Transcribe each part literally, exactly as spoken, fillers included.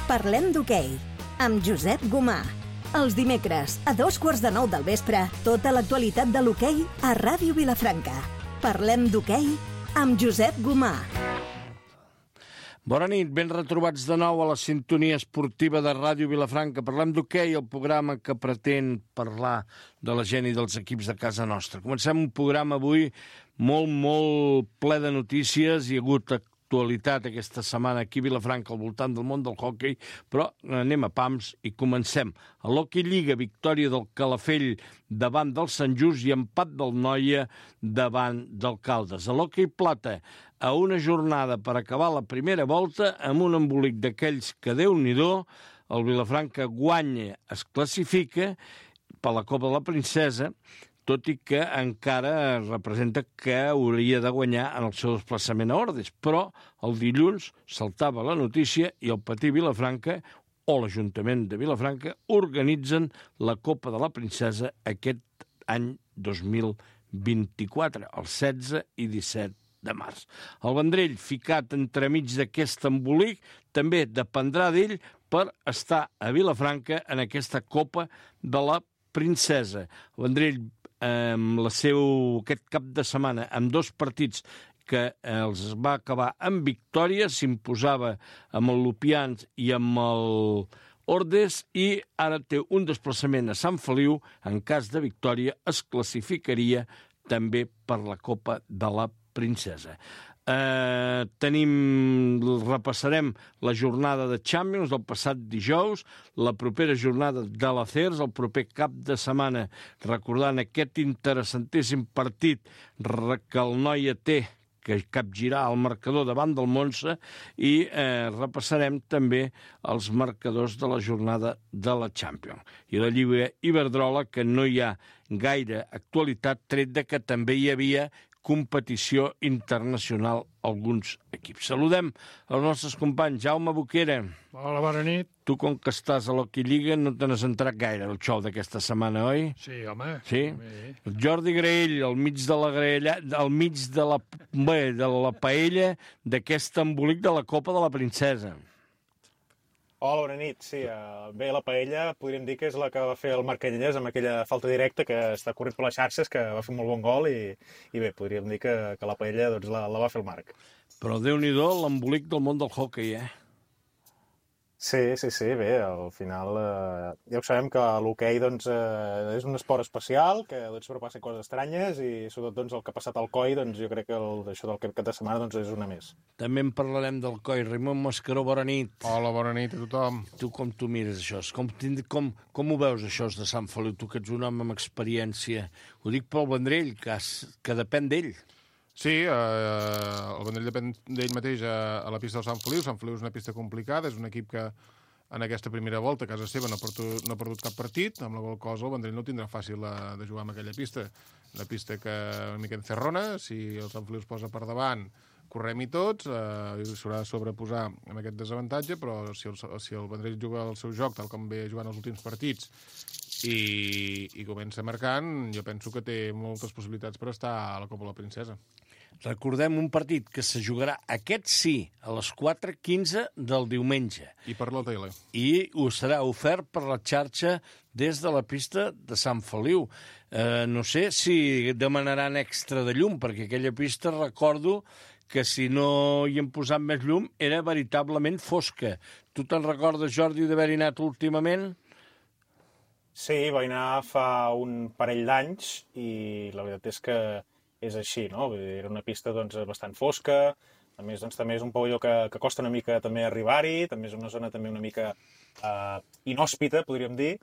Parlem d'hoquei, amb Josep Gomà. Els dimecres, a dos quarts de nou del vespre, tota l'actualitat de l'hoquei a Ràdio Vilafranca. Parlem d'hoquei amb Josep Gomà. Bona nit, ben retrobats de nou a la sintonia esportiva de Ràdio Vilafranca. Parlem d'hoquei, el programa que pretén parlar de la gent i dels equips de casa nostra. Comencem un programa avui molt, molt ple de notícies. Hi ha hagut actualitat aquesta setmana aquí a Vilafranca al voltant del món del hoquei, però anem a pams i comencem. A l'Hockey Lliga, victòria del Calafell davant del Sant Just i empat del Noia davant del Caldes. A l'Hockey Plata, a una jornada per acabar la primera volta amb un embolic d'aquells que Déu-n'hi-do, el Vilafranca guanya, es classifica per la Copa de la Princesa, tot i que encara representa que hauria de guanyar en el seu desplaçament a Ordes. Però el dilluns saltava la notícia i el Patí Vilafranca o l'Ajuntament de Vilafranca organitzen la Copa de la Princesa aquest any dos mil vint-i-quatre, el setze i disset de març. El Vendrell, ficat entremig d'aquest embolic, també dependrà d'ell per estar a Vilafranca en aquesta Copa de la Princesa. El Vendrell, amb la seu, aquest cap de setmana, amb dos partits que els va acabar amb victòria, s'imposava amb el Lupians i amb el Ordes, i ara té un desplaçament a Sant Feliu. En cas de victòria es classificaria també per la Copa de la Princesa. Eh, tenim, repassarem la jornada de Champions del passat dijous, la propera jornada de l'A C E R S, el proper cap de setmana, recordant aquest interessantíssim partit que el Noia té, que capgirà el marcador davant del Montse, i eh, repassarem també els marcadors de la jornada de la Champions. I la Lliga Iberdrola, que no hi ha gaire actualitat, tret de que també hi havia competició internacional alguns equips. Saludem els nostres companys. Jaume Boquera. Hola, bona nit. Tu, com que estàs a l'Hockey Lliga, no te n'has entrat gaire el xou d'aquesta setmana, oi? Sí, home. Sí? El Jordi Graell, al mig de la graella, al mig de la, bé, de la paella d'aquest embolic de la Copa de la Princesa. Hola, bona nit. Sí, uh, bé, la paella podríem dir que és la que va fer el Marc Canyelles amb aquella falta directa que està corrent per les xarxes, que va fer un molt bon gol, i, i bé, podríem dir que, que la paella doncs, la, la va fer el Marc. Però Déu-n'hi-do l'embolic del món del hoquei, eh? Sí, sí, sí, bé, al final eh, ja ho sabem que l'hoquei doncs, eh, és un esport especial, que doncs, sempre passen coses estranyes, i sobretot doncs, el que ha passat al C O I, doncs, jo crec que el, això del cap de setmana doncs, és una més. També en parlarem del C O I. Raimon Mascaró, bona nit. Hola, bona nit a tothom. Tu com tu mires això? Com, com, com ho veus, això de Sant Feliu? Tu que ets un home amb experiència. Ho dic pel Vendrell, que, has, que depèn d'ell. Sí, eh, el Vendrell depèn d'ell mateix a, a la pista del Sant Feliu. Sant Feliu és una pista complicada, és un equip que en aquesta primera volta a casa seva no ha perdut, no ha perdut cap partit, amb la qual cosa el Vendrell no tindrà fàcil de, de jugar amb aquella pista. Una pista que una mica encerrona, si el Sant Feliu es posa per davant, correm-hi tots, eh, s'haurà de sobreposar amb aquest desavantatge, però si el, si el Vendrell juga el seu joc, tal com ve jugant els últims partits, i, i comença marcant, jo penso que té moltes possibilitats per estar a la Copa de la Princesa. Recordem un partit que se jugarà aquest sí, a les quatre quinze del diumenge. I per la tele. I ho serà ofert per la xarxa des de la pista de Sant Feliu. Eh, no sé si demanaran extra de llum, perquè aquella pista, recordo que si no hi hem posat més llum, era veritablement fosca. Tu te'n recordes, Jordi, d'haver-hi anat últimament? Sí, vaig anar fa un parell d'anys, i la veritat és que és així, no? Era una pista doncs, bastant fosca, a més doncs, també és un pavelló que, que costa una mica també arribar-hi, també és una zona també una mica eh, inhòspita, podríem dir,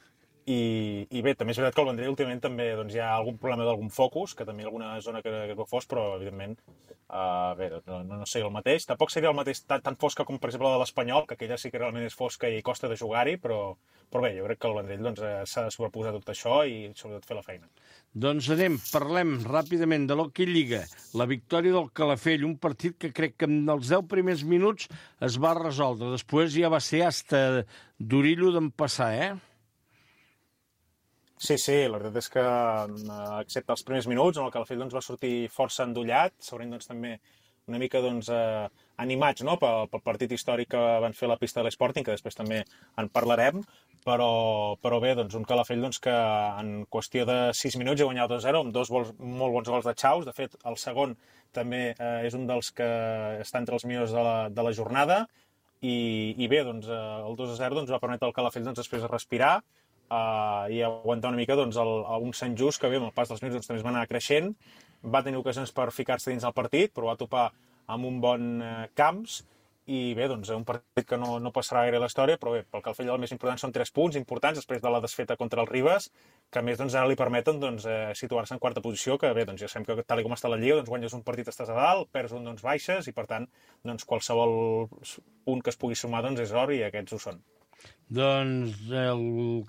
i, i bé, també és veritat que al Vendrell últimament també doncs, hi ha algun problema d'algun focus, que també hi ha alguna zona que, que es veu fos, però evidentment eh, bé, no, no, no seria el mateix. Tampoc seria el mateix tan, tan fosca com per exemple la de l'Espanyol, que aquella sí que realment és fosca i costa de jugar-hi, però, però bé, jo crec que el Vendrell doncs, s'ha de sobreposar tot això i sobretot fer la feina. Doncs anem, parlem ràpidament de l'Hockey Lliga. La victòria del Calafell, un partit que crec que en els deu primers minuts es va resoldre. Després ja va ser hasta d'orillo d'empassar, eh? Sí, sí, la veritat és que, excepte els primers minuts, en el Calafell doncs, va sortir força endollat, segurament doncs, també una mica doncs, eh, animats, no?, pel, pel partit històric que van fer a la pista de l'Sporting, que després també en parlarem, però, però bé, doncs, un Calafell doncs, que en qüestió de sis minuts ha guanyat dos a zero, amb dos gols, molt bons gols de Chaus. De fet, el segon també eh, és un dels que està entre els millors de la, de la jornada, i, i bé, doncs, eh, el dos a zero doncs, va permetre al Calafell doncs, després de respirar eh, i aguantar una mica doncs, el, un Sant Just que bé, amb el pas dels minuts doncs, també es va anar creixent, va tenir ocasions per ficar-se dins del partit, però va topar amb un bon eh, Camps, i bé, doncs, un partit que no, no passarà gaire a la història, però bé, pel Calafell el més important són tres punts importants després de la desfeta contra el Ribes, que a més doncs, ara li permeten doncs, eh, situar-se en quarta posició, que bé, doncs, ja sabem que tal com està la Lliga, doncs, guanyes un partit estàs a dalt, perds un doncs, baixes, i per tant doncs, qualsevol punt que es pugui sumar doncs, és or, i aquests ho són. Doncs el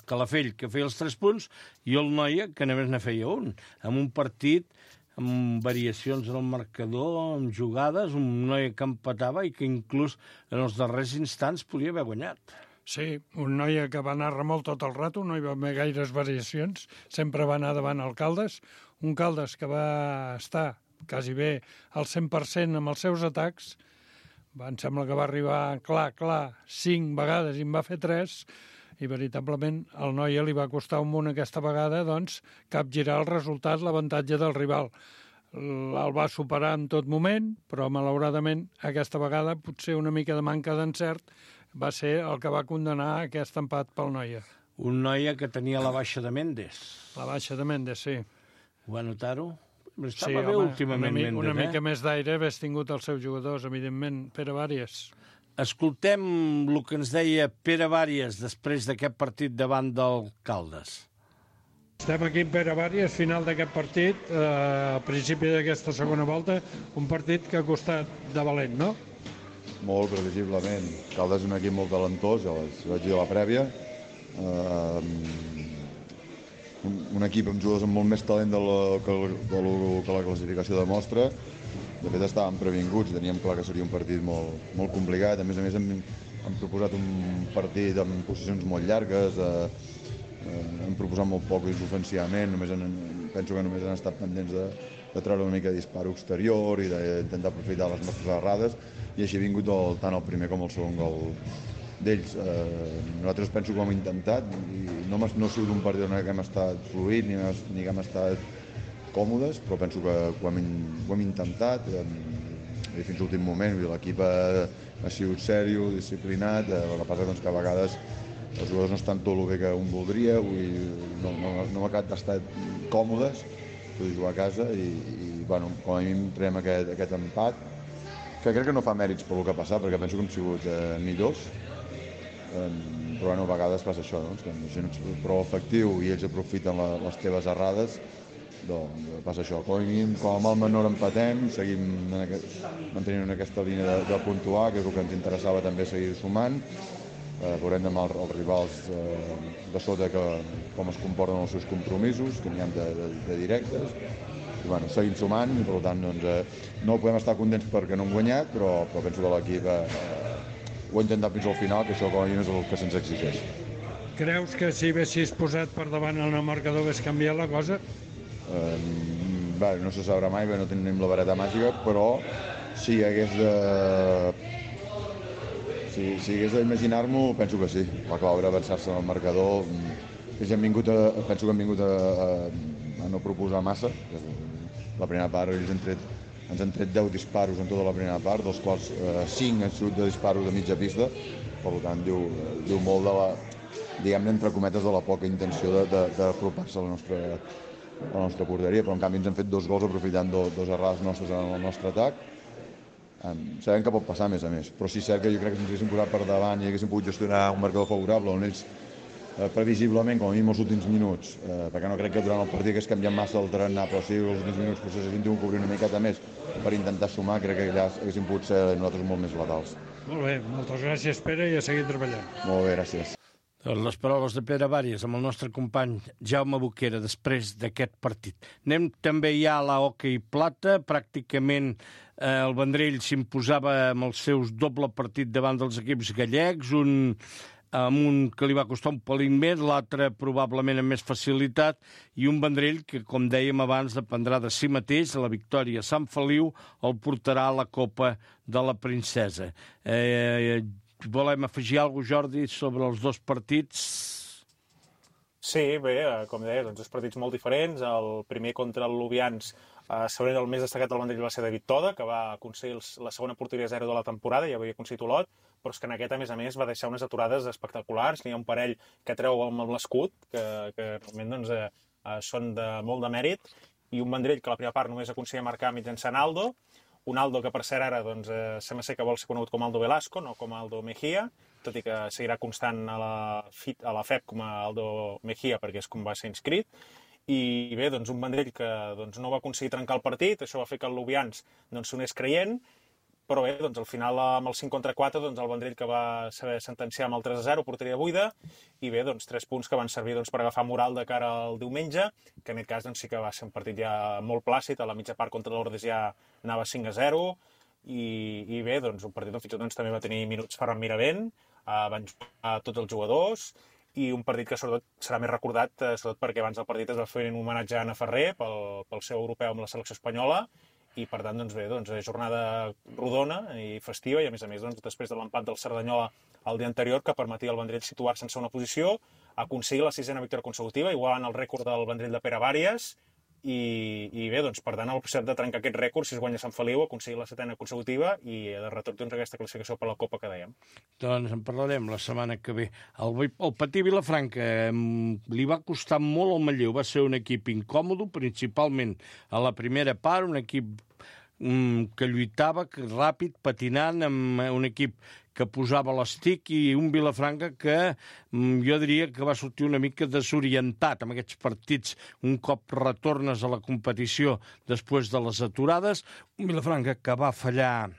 Calafell, que feia els tres punts, i el Noia, que només ne feia un, amb un partit amb variacions en el marcador, amb jugades, un Noia que empatava i que inclús en els darrers instants podia haver guanyat. Sí, un Noia que va anar remolc tot el rato, no hi va haver gaires variacions, sempre va anar davant el Caldes, un Caldes que va estar quasi bé al cent per cent amb els seus atacs, em sembla que va arribar clar, clar, cinc vegades i en va fer tres, i veritablement al Noia li va costar un munt aquesta vegada doncs, capgirar el resultat, l'avantatge del rival. El va superar en tot moment, però malauradament aquesta vegada potser una mica de manca d'encert va ser el que va condenar aquest empat pel Noia. Un Noia que tenia la baixa de Méndez. La baixa de Méndez, sí. Va notar-ho? Estava sí, bé home, últimament una, mi, Méndez, una eh? mica més d'aire hagués tingut els seus jugadors, evidentment, Pere Vàries. Escoltem el que ens deia Pere Vàries després d'aquest partit davant del Caldes. Estem aquí amb Pere Vàries, final d'aquest partit, eh, al principi d'aquesta segona volta, un partit que ha costat de valent, no? Molt previsiblement. Caldes és un equip molt talentós, ja vaig dir a la prèvia. Uh, un, un equip amb jugadors amb molt més talent de la, que, de lo, que la classificació demostra. De fet, estàvem previnguts, teníem clar que seria un partit molt, molt complicat. A més a més, hem, hem proposat un partit amb posicions molt llargues, eh, eh, hem proposat molt poc ofensivament, només en, penso que només han estat pendents de, de treure una mica de disparo exterior i d'intentar aprofitar les nostres errades, i així ha vingut el, tant el primer com el segon gol d'ells. Eh, nosaltres penso que ho hem intentat, i no, no ha sigut un partit on hem estat fluït ni, ni que hem estat còmodes, però penso que ho hem, ho hem intentat eh, i fins a l'últim moment. L'equip ha, ha sigut sèrio, disciplinat, eh, el que passa doncs, que a vegades els jugadors no estan tot el bé que un voldria, no, no, no hem acabat d'estar còmodes, de jugar a casa, i, i bueno, com a mínim traiem aquest, aquest empat, que crec que no fa mèrits per el que ha passat, perquè penso que hem sigut eh, millors, eh, però bueno, a vegades passa això, no? Que si no ets prou efectiu i ells aprofiten la, les teves errades, doncs passa això. Com a mínim, com a mal menor empatem, seguim en aquest, mantenint aquesta línia de, de puntuar, que és el que ens interessava també seguir sumant. Eh, veurem demà els, els rivals eh, de sota que, com es comporten els seus compromisos, que n'hi ha de, de, de directes. I bueno, seguim sumant, i per tant doncs, eh, no podem estar contents perquè no hem guanyat, però, però penso que l'equip eh, ho ha intentat fins al final, que això com a mínim és el que se'ns exigeix. Creus que si haguessis posat per davant el marcador hagués canviat la cosa? Eh, bé, no se sabrà mai, bé, no tenim la vareta màgica, però si hagués de... Si, si hagués d'imaginar-m'ho, penso que sí. La clau era avançar-se en el marcador. Ells hem vingut a, penso que hem vingut a, a, a no proposar massa. La primera part, ells han tret, ens han tret deu disparos en tota la primera part, dels quals eh, cinc han sigut de disparos de mitja pista. Per tant, diu, diu molt de la, diguem-ne, entre cometes, de la poca intenció d'apropar-se a la nostra a la nostra porteria, però en canvi ens han fet dos gols aprofitant do, dos errades nostres en el nostre atac. Um, sabem que pot passar més a més, però sí és cert que jo crec que ens haguéssim posat per davant i haguéssim pogut gestionar un marcador favorable on ells eh, previsiblement, com a mínim els últims minuts, eh, perquè no crec que durant el partit hagués canviat massa el tarannà, però sí els últims minuts potser s'haguessin tingut que obrir una miqueta més per intentar sumar, crec que allà haguéssim pogut ser nosaltres molt més letals. Molt bé, moltes gràcies, Pere, i a seguir treballant. Molt bé, gràcies. Les paraules de Pere Vàries amb el nostre company Jaume Boquera després d'aquest partit. Anem també ja a la hoquei plata. Pràcticament eh, el Vendrell s'imposava amb els seus doble partit davant dels equips gallecs, un amb un que li va costar un pelín més, l'altre probablement amb més facilitat, i un Vendrell que, com dèiem abans, dependrà de si mateix. La victòria a Sant Feliu el portarà a la Copa de la Princesa. Eh, volem afegir alguna cosa, Jordi, sobre els dos partits? Sí, bé, com deia, doncs dos partits molt diferents. El primer contra el Lubians, eh, segurament el més destacat del Vendrell va ser David Toda, que va aconseguir la segona porteria zero de la temporada, ja havia aconseguit Olot, però és que en aquest, a més a més, va deixar unes aturades espectaculars. N'hi ha un parell que treu amb l'escut, que, que realment doncs, eh, són de molt de mèrit, i un Vendrell que a la primera part només aconseguia marcar mitjançant Aldo, un Aldo que per cert ara doncs, eh, sembla ser que vol ser conegut com Aldo Velasco, no com Aldo Mejía, tot i que seguirà constant a la, FIT, a la F E P com a Aldo Mejía, perquè és com va ser inscrit. I bé, doncs un Vendrell que doncs, no va aconseguir trencar el partit, això va fer que el Lubians doncs, s'ho anés creient, però bé, doncs, al final amb el cinc contra quatre doncs, el Vendrell que va saber sentenciar amb el tres a zero, porteria buida, i bé, doncs, tres punts que van servir doncs, per agafar moral de cara al diumenge, que en aquest cas doncs, sí que va ser un partit ja molt plàcid, a la mitja part contra l'Ordes ja anava cinc a zero, i, i bé, doncs, un partit on fins i tot doncs, també va tenir minuts Ferran Miravent, eh, van jugar tots els jugadors, i un partit que sobretot serà més recordat, eh, sobretot perquè abans del partit es va fer un homenatge a Anna Ferrer pel, pel seu europeu amb la selecció espanyola, i per tant, doncs bé, doncs, jornada rodona i festiva, i a més a més, doncs, després de l'empat del Cerdanyola el dia anterior, que permetia al Vendrell situar-se en segona posició, aconseguir la sisena victòria consecutiva, igualant el rècord del Vendrell de Pere Vàries, i, i bé, doncs, per tant, el possibilitat de trencar aquest rècord, si es guanya Sant Feliu, aconseguir la setena consecutiva i de retorn doncs, aquesta classificació per la Copa que dèiem. Doncs en parlarem la setmana que ve. El, el Patí Vilafranca eh, li va costar molt al Manlleu, va ser un equip incòmodo, principalment a la primera part, un equip mm, que lluitava, que ràpid, patinant, amb un equip que posava l'estic, i un Vilafranca que mm, jo diria que va sortir una mica desorientat amb aquests partits un cop retornes a la competició després de les aturades. Un Vilafranca que va fallar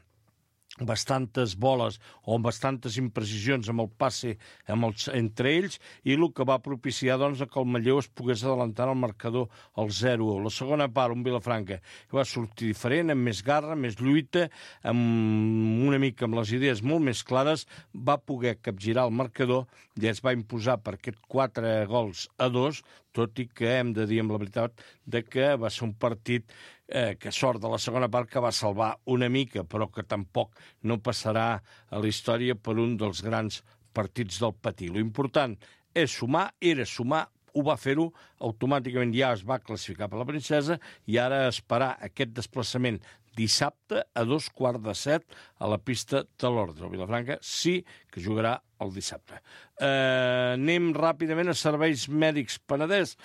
bastantes boles o amb bastantes imprecisions amb el passe amb els, entre ells, i el que va propiciar doncs, que el Manlleu es pogués adelantar al marcador al zero a u. La segona part, un Vilafranca que va sortir diferent, amb més garra, més lluita, amb una mica amb les idees molt més clares, va poder capgirar el marcador i es va imposar per aquests quatre gols a dos, tot i que hem de dir amb la veritat de que va ser un partit eh, que sort de la segona part que va salvar una mica, però que tampoc no passarà a la història per un dels grans partits del Patí. L'important és sumar, era sumar, ho va fer-ho, automàticament ja es va classificar per la Princesa, i ara esperar aquest desplaçament dissabte a dos quarts de set a la pista de l'Ordre. El Vilafranca sí que jugarà el dissabte. Eh, anem ràpidament a Serveis Mèdics Penedès,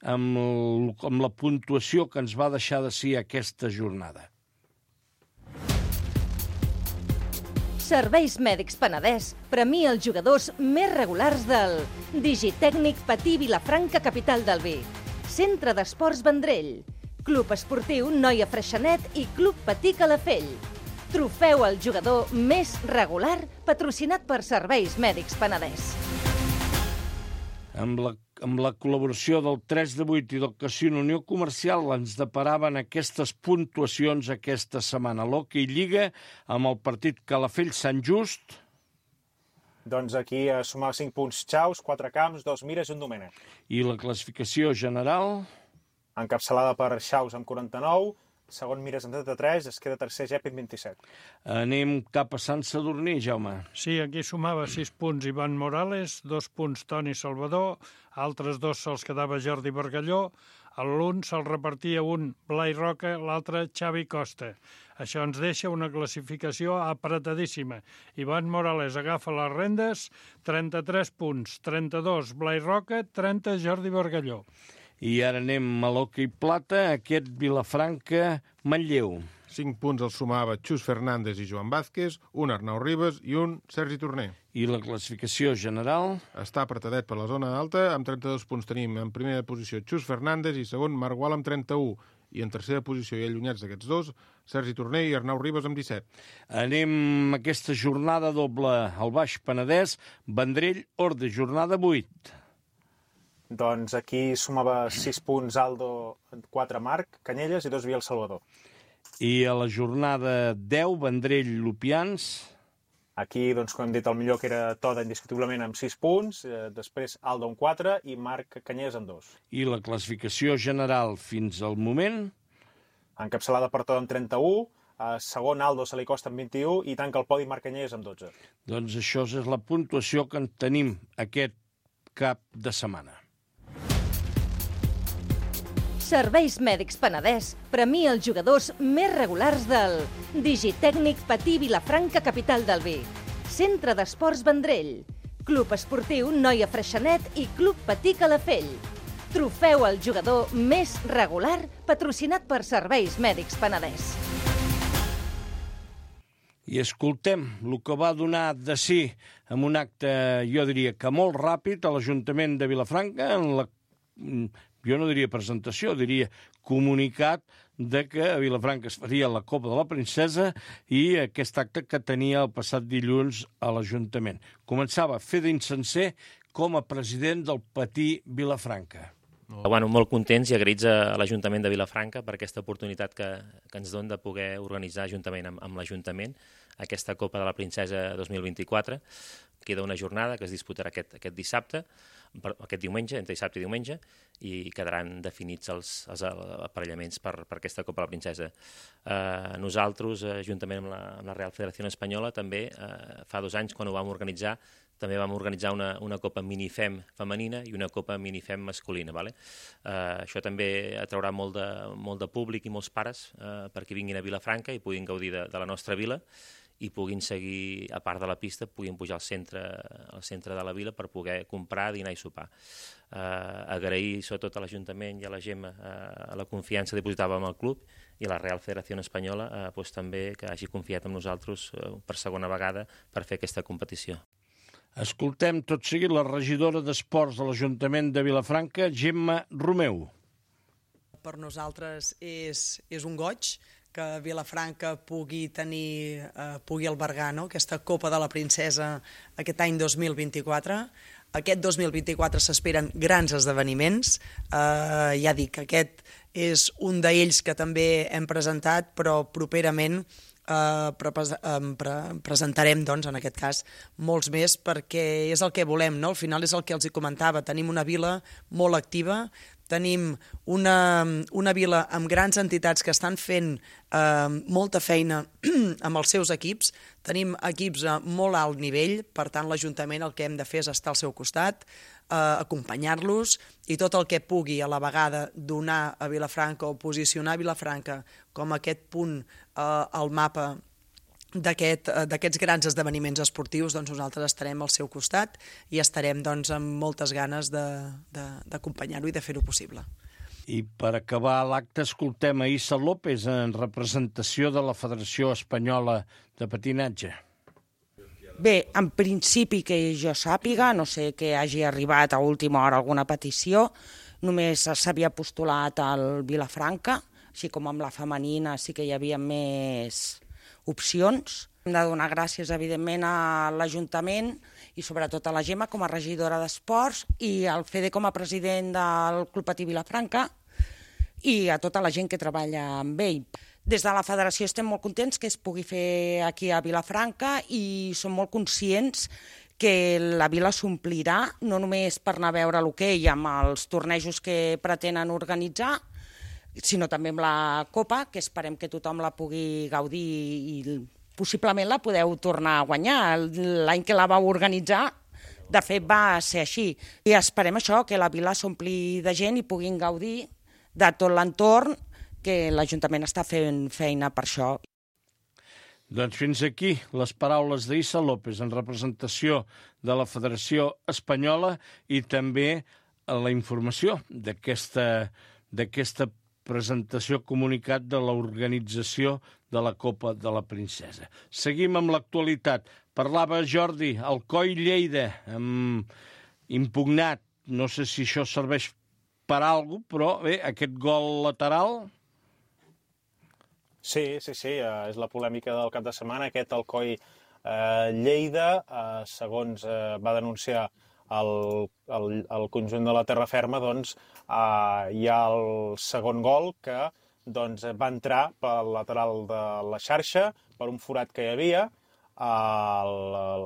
amb, el, amb la puntuació que ens va deixar de si aquesta jornada. Serveis Mèdics Penedès premia els jugadors més regulars del Digitècnic Patí Vilafranca, capital del vi, Centre d'Esports Vendrell, Club Esportiu Noia Freixenet i Club Patí Calafell. Trofeu al jugador més regular patrocinat per Serveis Mèdics Penedès. Amb la, amb la col·laboració del tres de vuit i del Casino Unió Comercial ens deparaven aquestes puntuacions aquesta setmana. L'Hockey Lliga amb el partit Calafell-Sant Just. Doncs aquí a sumar cinc punts Xaus, quatre camps, dos Mires i un Domènec. I la classificació general? Encapçalada per Xaus amb quaranta-nou, segon Mires amb trenta-tres, es queda tercer Gep amb vint-i-set. Anem cap a Sant Sadurní, Jaume. Sí, aquí sumava sis punts Ivan Morales, dos punts Toni Salvador, altres dos se'ls quedava Jordi Bargalló, a l'un se'l repartia un Blai Roca, l'altre Xavi Costa. Això ens deixa una classificació apretadíssima. Ivan Morales agafa les rendes, trenta-tres punts, trenta-dos Blai Roca, trenta Jordi Bargalló. I ara anem a l'hoquei plata, aquest Vilafranca-Manlleu. Cinc punts els sumava Xus Fernández i Joan Vázquez, un Arnau Ribas i un Sergi Torner. I la classificació general? Està apretadet per la zona alta, amb trenta-dos punts tenim en primera posició Xus Fernández i segon Marc Gual amb trenta-u. I en tercera posició i allunyats d'aquests dos, Sergi Torner i Arnau Ribas amb disset. Anem a aquesta jornada doble al Baix Penedès, Vendrell-Orde, jornada vuit. Doncs aquí sumava sis punts Aldo, quatre Marc Canyelles i dos Vial Salvador. I a la jornada deu, Vendrell-Lupians. Aquí, doncs, com hem dit, el millor que era Toda indiscutiblement amb sis punts, eh, després Aldo amb quatre i Marc Canyés amb dos. I la classificació general fins al moment? Encapçalada per Toda amb trenta-u, eh, segon Aldo se li costa amb vint-i-u i tanca el podi Marc Canyés amb dotze. Doncs això és la puntuació que en tenim aquest cap de setmana. Serveis Mèdics Penedès premia els jugadors més regulars del Digitècnic Patí Vilafranca, capital del vi, Centre d'Esports Vendrell, Club Esportiu Noia Freixenet i Club Patí Calafell. Trofeu al jugador més regular patrocinat per Serveis Mèdics Penedès. I escoltem el que va donar de si amb un acte, jo diria que molt ràpid, a l'Ajuntament de Vilafranca, en la, jo no diria presentació, diria comunicat de que a Vilafranca es faria la Copa de la Princesa i aquest acte que tenia el passat dilluns a l'Ajuntament. Començava Fede Insenser com a president del Patí Vilafranca. Bueno, molt contents i agraïts a l'Ajuntament de Vilafranca per aquesta oportunitat que, que ens dona de poder organitzar juntament amb, amb l'Ajuntament aquesta Copa de la Princesa dos mil vint-i-quatre. Queda una jornada que es disputarà aquest, aquest dissabte, aquest diumenge, entre dissabte i diumenge, i quedaran definits els, els aparellaments per, per aquesta Copa de la Princesa. Eh, nosaltres, eh, juntament amb la, amb la Real Federació Espanyola, també eh, fa dos anys, quan ho vam organitzar, també vam organitzar una, una Copa Minifem femenina i una Copa Minifem masculina. Vale? Eh, això també atraurà molt de, molt de públic i molts pares eh, perquè vinguin a Vilafranca i puguin gaudir de, de la nostra vila i puguin seguir, a part de la pista, puguin pujar al centre, al centre de la vila per poder comprar, dinar i sopar. Eh, agrair sobretot a l'Ajuntament i a la Gemma eh, la confiança dipositada en el club i a la Real Federació Espanyola eh, pues, també que hagi confiat en nosaltres eh, per segona vegada per fer aquesta competició. Escoltem tot seguit la regidora d'Esports de l'Ajuntament de Vilafranca, Gemma Romeu. Per nosaltres és, és un goig que Vilafranca pugui tenir, eh, pugui albergar, no?, aquesta Copa de la Princesa aquest any dos mil vint-i-quatre. Aquest dos mil vint-i-quatre s'esperen grans esdeveniments. Eh, ja dic, aquest és un d'ells que també hem presentat, però properament Uh, pre pre presentarem, doncs, en aquest cas, molts més, perquè és el que volem, no? Al final és el que els hi comentava, tenim una vila molt activa, tenim una, una vila amb grans entitats que estan fent uh, molta feina amb els seus equips, tenim equips a molt alt nivell, per tant l'Ajuntament el que hem de fer és estar al seu costat, Uh, acompanyar-los i tot el que pugui a la vegada donar a Vilafranca o posicionar Vilafranca com aquest punt uh, al mapa d'aquest, uh, d'aquests grans esdeveniments esportius, doncs nosaltres estarem al seu costat i estarem doncs, amb moltes ganes d'acompanyar-ho i de fer-ho possible. I per acabar l'acte escoltem a Issa López en representació de la Federació Espanyola de Patinatge. Bé, en principi que jo sàpiga, no sé que hagi arribat a última hora alguna petició, només s'havia postulat al Vilafranca, així com amb la femenina sí que hi havia més opcions. Hem de donar gràcies, evidentment, a l'Ajuntament i sobretot a la Gemma com a regidora d'Esports i al Fede com a president del Club Patí Vilafranca i a tota la gent que treballa amb ell. Des de la federació estem molt contents que es pugui fer aquí a Vilafranca i som molt conscients que la vila s'omplirà, no només per anar a veure l'hoquei amb els tornejos que pretenen organitzar, sinó també amb la Copa, que esperem que tothom la pugui gaudir i possiblement la podeu tornar a guanyar. L'any que la vau organitzar, de fet, va ser així. I esperem això, que la vila s'ompli de gent i puguin gaudir de tot l'entorn, que l'Ajuntament està fent feina per això. Doncs fins aquí les paraules d'Issa López en representació de la Federació Espanyola i també la informació d'aquesta d'aquesta presentació comunicat de l'organització de la Copa de la Princesa. Seguim amb l'actualitat. Parlava Jordi, Alcoi Lleida, amb impugnat. No sé si això serveix per alguna cosa, però bé, aquest gol lateral... Sí, sí, sí, eh, és la polèmica del cap de setmana. Aquest Alcoi eh, Lleida, eh, segons eh, va denunciar el, el, el conjunt de la terra ferma, doncs eh, hi ha el segon gol que doncs, va entrar pel lateral de la xarxa, per un forat que hi havia. el,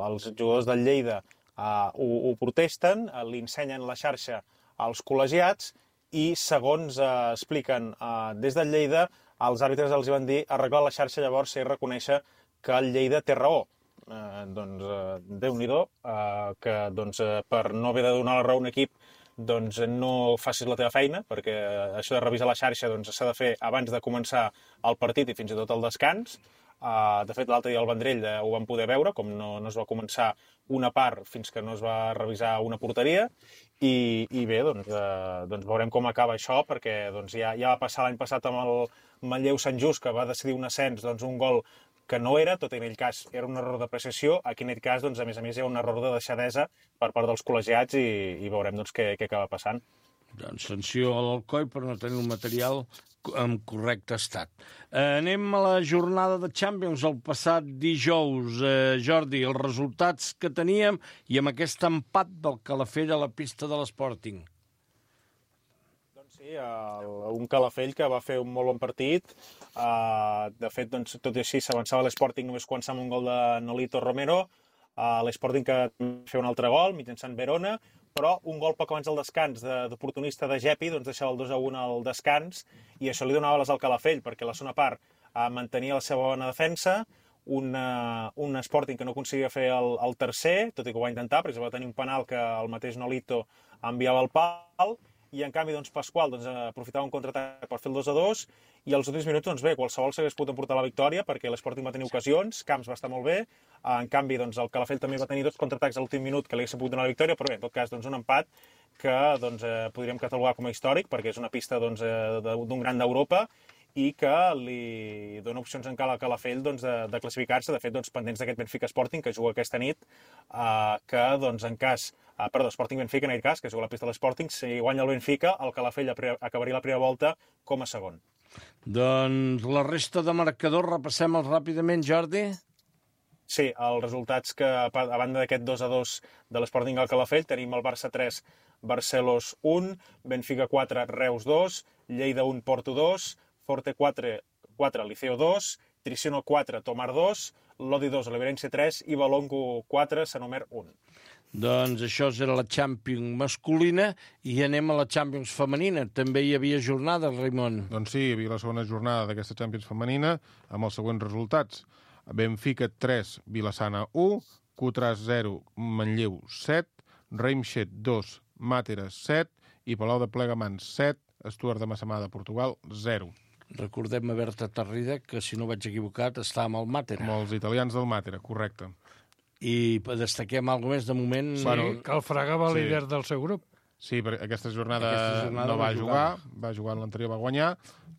els jugadors del Lleida uh, ho, ho protesten, uh, li ensenyen la xarxa als col·legiats i, segons uh, expliquen uh, des del Lleida, els àrbitres els van dir arreglar la xarxa llavors i reconèixer que el Lleida té raó. Uh, doncs, uh, Déu-n'hi-do, uh, que doncs, uh, per no haver de donar la raó a un equip doncs no facis la teva feina, perquè això de revisar la xarxa doncs, s'ha de fer abans de començar el partit i fins i tot el descans. Uh, de fet, l'altre dia al Vendrell uh, ho vam poder veure, com no, no es va començar una part fins que no es va revisar una porteria, i, i bé, doncs, uh, doncs veurem com acaba això, perquè doncs, ja, ja va passar l'any passat amb el Manlleu Sant Just, que va decidir un ascens, doncs, un gol que no era, tot en aquell cas era un error d'apreciació, aquí en aquest cas, doncs, a més a més, hi ha un error de deixadesa per part dels col·legiats i, i veurem doncs, què, què acaba passant. Doncs sanció a l'Alcoi per no tenir el material en correcte estat. Eh, anem a la jornada de Champions el passat dijous. Eh, Jordi, els resultats que teníem i amb aquest empat del Calafell a la pista de l'Sporting. Sí, el, un Calafell que va fer un molt bon partit. Uh, de fet, doncs, tot i així, s'avançava l'Sporting només començant amb un gol de Nolito Romero. Uh, L'Sporting que va fer un altre gol mitjançant Verona, però un gol poc abans del descans d'oportunista de, de Gepi, doncs deixava el dos a un al descans, i això li donava les al Calafell, perquè la segona part uh, mantenia la seva bona defensa, un, uh, un Sporting que no aconseguia fer el, el tercer, tot i que ho va intentar, perquè va tenir un penal que el mateix Nolito enviava al pal, i en canvi doncs, Pasqual doncs, aprofitava un contraatac per fer el dos a dos, i als últims minuts, doncs bé, qualsevol s'hagués pogut emportar la victòria, perquè l'Sporting va tenir ocasions, Camps va estar molt bé, en canvi doncs, el Calafell també va tenir dos contraatacs a l'últim minut que li haguessin pogut donar la victòria, però bé, en tot cas, doncs, un empat que doncs, eh, podríem catalogar com a històric, perquè és una pista doncs, eh, d'un gran d'Europa, i que li dona opcions encara al Calafell doncs, de, de classificar-se, de fet, doncs, pendents d'aquest Benfica Sporting, que juga aquesta nit, eh, que, doncs, en cas, eh, perdó, Sporting Benfica, en aquest cas, que juga a la pista de l'Sporting, si guanya el Benfica, el Calafell acabaria la primera volta com a segon. Doncs la resta de marcadors, repassem-els ràpidament, Jordi. Sí, els resultats que, a banda d'aquest dos a dos de l'Sporting al Calafell, tenim el Barça tres, Barcelos un, Benfica quatre, Reus dos, Lleida un, Porto dos, Forte quatre, quatre Liceo dos, Triciono quatre, Tomar dos, Lodi dos, Oliverense tres i Balongo quatre, Sanomer un. Doncs això era la Champions masculina i anem a la Champions femenina. També hi havia jornada, Raimon. Doncs sí, hi havia la segona jornada d'aquesta Champions femenina amb els següents resultats. Benfica tres, Vilassana u, Cutras zero, Manlleu set, Reimshed dos, Màteres set i Palau de Plegamans set, Stuart de Massamà de Portugal zero. Recordem a Berta Tarrida, que si no vaig equivocat està amb el Màtera. Amb els italians del Màtera, correcte. I destaquem alguna més de moment... Sí, bueno, que el Fraga va sí. líder del seu grup. Sí, perquè aquesta jornada, aquesta jornada no va jugar, va jugar en l'anterior, va guanyar,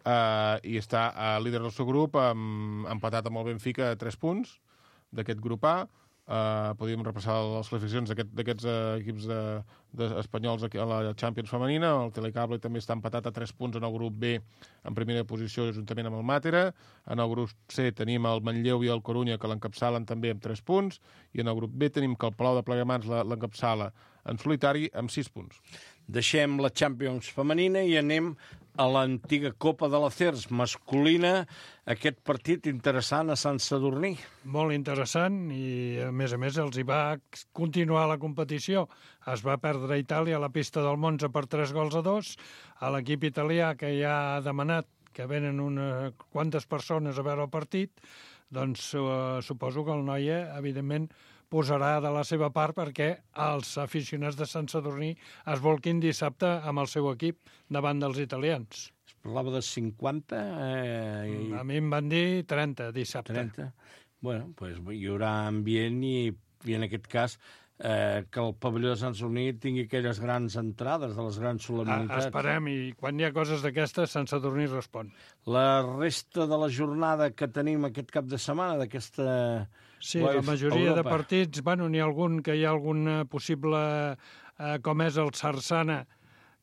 eh, i està a líder del seu grup, amb, empatat amb el Benfica a tres punts d'aquest grup A. Uh, podríem repassar les classificacions d'aquests aquest, uh, equips de, de espanyols a la Champions femenina. El Telecable també està empatat a tres punts en el grup B, en primera posició juntament amb el Màtera. En el grup C tenim el Manlleu i el Corunya, que l'encapçalen també amb tres punts, i en el grup B tenim que el Palau de Plegamans l'encapçala en solitari amb sis punts. Deixem la Champions femenina i anem a l'antiga Copa de la C E R S masculina. Aquest partit interessant a Sant Sadurní. Molt interessant i, a més a més, els hi va continuar la competició. Es va perdre a Itàlia a la pista del Monza per tres gols a dos. A l'equip italià, que ja ha demanat que venen unes quantes persones a veure el partit, doncs uh, suposo que el Noia, evidentment, posarà de la seva part perquè els aficionats de Sant Sadurní es volquin dissabte amb el seu equip davant dels italians. Es parlava de cinquanta... Eh, i... A mi em van dir trenta dissabte. trenta. Bueno, pues hi haurà ambient i, i en aquest cas eh, que el pavelló de Sant Sadurní tingui aquelles grans entrades de les grans solemnitats. Esperem, i quan hi ha coses d'aquestes, Sant Sadurní respon. La resta de la jornada que tenim aquest cap de setmana, d'aquesta... Sí, la majoria de partits, bueno, n'hi ha algun que hi ha algun possible, eh, com és el Sarsana,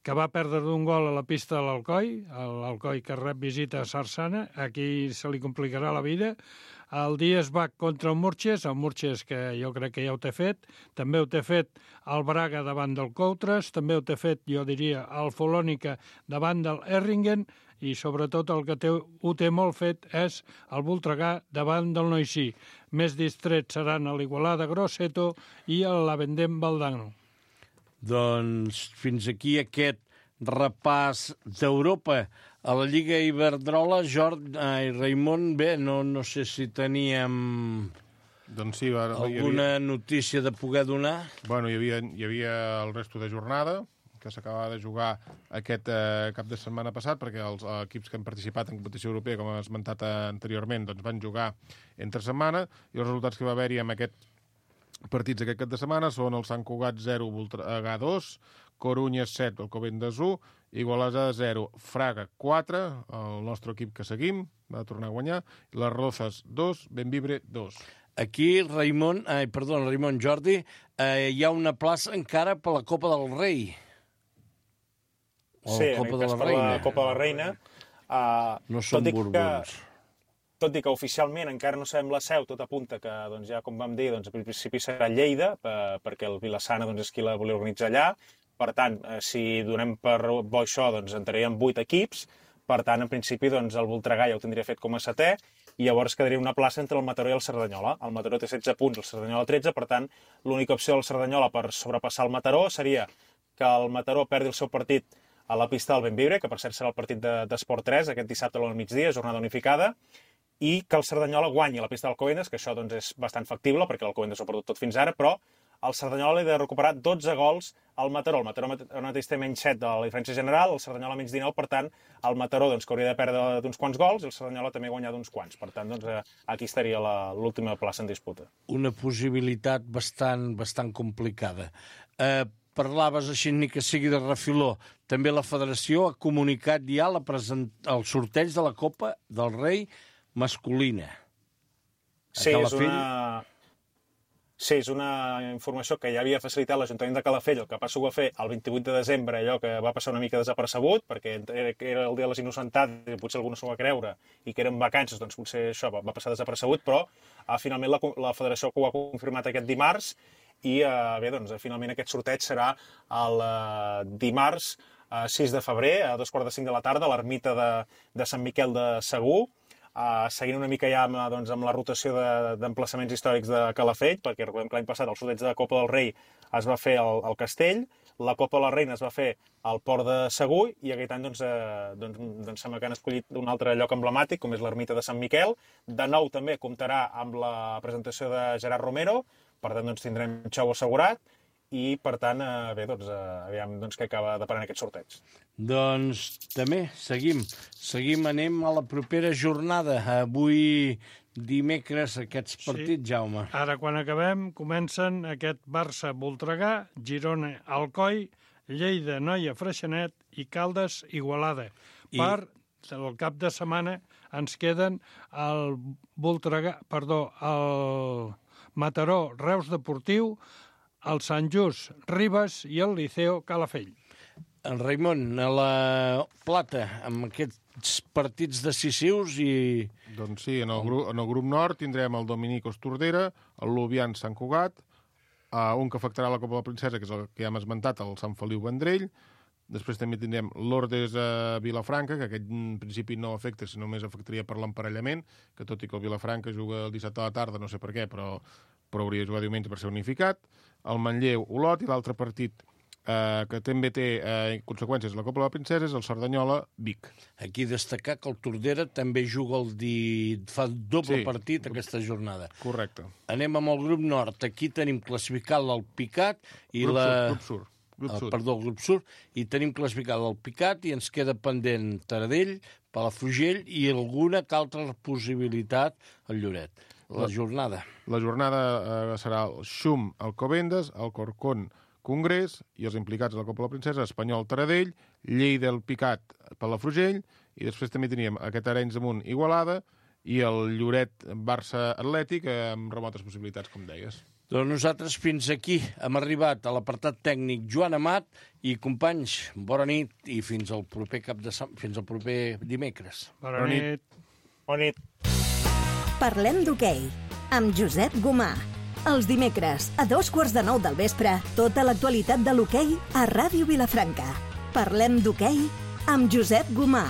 que va perdre d'un gol a la pista de l'Alcoi, l'Alcoi que rep visita a Sarsana, aquí se li complicarà la vida. El Dies va contra el Murches, el Murches que jo crec que ja ho té fet, també ho té fet el Braga davant del Coutres, també ho té fet, jo diria, el Folònica davant del Erringen, i sobretot el que té, ho té molt fet és el Voltregà davant del Noisí. Més distrets seran a l'Igualada Grosseto i a l'Avendem Valdano. Doncs fins aquí aquest repàs d'Europa. A la Lliga Iberdrola, Jordi i Raimon, bé, no, no sé si teníem doncs sí, va, alguna havia... notícia de poder donar. Bueno, hi havia, hi havia el resto de jornada, que s'acabava de jugar aquest eh, cap de setmana passat, perquè els eh, equips que han participat en competició europea, com he esmentat anteriorment, doncs van jugar entre setmana, i els resultats que va haver-hi amb aquests partits aquest cap de setmana són el Sant Cugat zero, Voltregà dos, Corunya set, Alcobendas u, Igualada zero, Fraga quatre, el nostre equip que seguim, va tornar a guanyar, i les Rozas dos, Benvibre dos. Aquí, Raimon, ai, perdó, Raimon, Jordi, eh, hi ha una plaça encara per la Copa del Rei. O sí, Copa en aquest cas per la Copa de la Reina. Uh, no són borbons. Tot i que oficialment encara no sabem la seu, tot apunta que, doncs, ja com vam dir, doncs, al principi serà Lleida, per, perquè el Vilassana doncs, és qui la volia organitzar allà. Per tant, eh, si donem per bo això, doncs entraríem vuit equips. Per tant, en principi, doncs, el Voltregà ja ho tindria fet com a setè, i llavors quedaria una plaça entre el Mataró i el Cerdanyola. El Mataró té setze punts, el Cerdanyola tretze, per tant, l'única opció del Cerdanyola per sobrepassar el Mataró seria que el Mataró perdi el seu partit a la pista del Benvibre, que per cert serà el partit d'Esport tres, aquest dissabte al migdia, jornada unificada, i que el Cerdanyola guanyi a la pista d'Alcobendas, que això doncs, és bastant factible, perquè l'Alcobendas ho ha perdut tot fins ara, però el Cerdanyola li ha de recuperar dotze gols al Mataró. El Mataró ara mateix té menys set de la diferència general, el Cerdanyola menys dinou, per tant, el Mataró doncs, que hauria de perdre d'uns quants gols, i el Cerdanyola també guanyar d'uns quants. Per tant, doncs, aquí estaria l'última plaça en disputa. Una possibilitat bastant, bastant complicada. Eh, parlaves així, ni que sigui de refiló, també la federació ha comunicat ja la present... el sorteig de la Copa del Rei masculina. Sí, és una... sí, és una informació que ja havia facilitat l'Ajuntament de Calafell, el que passa ho va fer el vint-i-vuit de desembre, allò que va passar una mica desapercebut, perquè era el dia de les innocentades, i potser algú no s'ho va creure, i que eren vacances, doncs potser això va passar desapercebut, però ah, finalment la, la federació ho ha confirmat aquest dimarts, i eh, bé, doncs, finalment aquest sorteig serà el eh, dimarts eh, sis de febrer, a dos quarts de cinc de la tarda, a l'ermita de, de Sant Miquel de Segur, Uh, seguint una mica ja amb, doncs, amb la rotació d'emplaçaments de, històrics de Calafell, perquè recordem que l'any passat el sorteig de la Copa del Rei es va fer al, al Castell, la Copa de la Reina es va fer al Port de Segur, i aquest any doncs, eh, doncs, doncs sembla que han escollit un altre lloc emblemàtic, com és l'ermita de Sant Miquel. De nou també comptarà amb la presentació de Gerard Romero, per tant doncs, tindrem xou assegurat, i, per tant, eh, bé, doncs, eh, aviam doncs, què acaba deparant aquest sorteig. Doncs també seguim. Seguim, anem a la propera jornada. Avui dimecres aquests partits, sí. Jaume. Ara, quan acabem, comencen aquest Barça-Voltregà, Girona-Alcoi, Lleida-Noia Freixenet i Caldes-Igualada. I... Per el cap de setmana ens queden el Voltregà, perdó, el Mataró-Reus Deportiu, el Sant Just Ribes i el Liceo Calafell. En Raimon, a la Plata, amb aquests partits decisius i... Doncs sí, en el, grup, en el grup nord tindrem el Dominicos Tordera, el Lubian Sant Cugat, uh, un que afectarà la Copa de la Princesa, que és el que ja hem esmentat, el Sant Feliu Vendrell. Després també tindrem l'Ordes a Vilafranca, que aquest en principi no afecta, sinó només afectaria per l'emparellament, que tot i que el Vilafranca juga el dissabte a la tarda, no sé per què, però, però hauria de jugar diumenge per ser unificat. El Manlleu, Olot, i l'altre partit eh, que també té eh, conseqüències a la Copa de la Princesa és el Cerdanyola Vic. Aquí destacar que el Tordera també juga el di... fa doble sí, partit aquesta jornada. Correcte. Anem amb el grup nord. Aquí tenim classificat l'Alpicat i grup la... Sur, grup Sur. Grup el, Sud. Perdó, el grup Sur, i tenim classificat el Picat i ens queda pendent Taradell, Palafrugell i alguna altra possibilitat al Lloret. La, la jornada. La jornada eh, serà el Xum, Alcobendas, el Corcón, Congrés, i els implicats a la Copa de la Princesa, Espanyol, Taradell, Lleida, el Picat, Palafrugell, i després també teníem aquest Arenys Amunt, Igualada, i el Lloret, Barça, Atlètic, eh, amb remotes possibilitats, com deies. Doncs nosaltres fins aquí hem arribat a l'apartat tècnic Joan Amat i companys, bona nit i fins al proper cap de sem... fins al proper dimecres. Bona, bona nit. nit. Bona nit. Parlem d'hoquei amb Josep Gomà. Els dimecres a dos quarts de nou del vespre, tota l'actualitat de l'hoquei a Ràdio Vilafranca. Parlem d'hoquei amb Josep Gomà.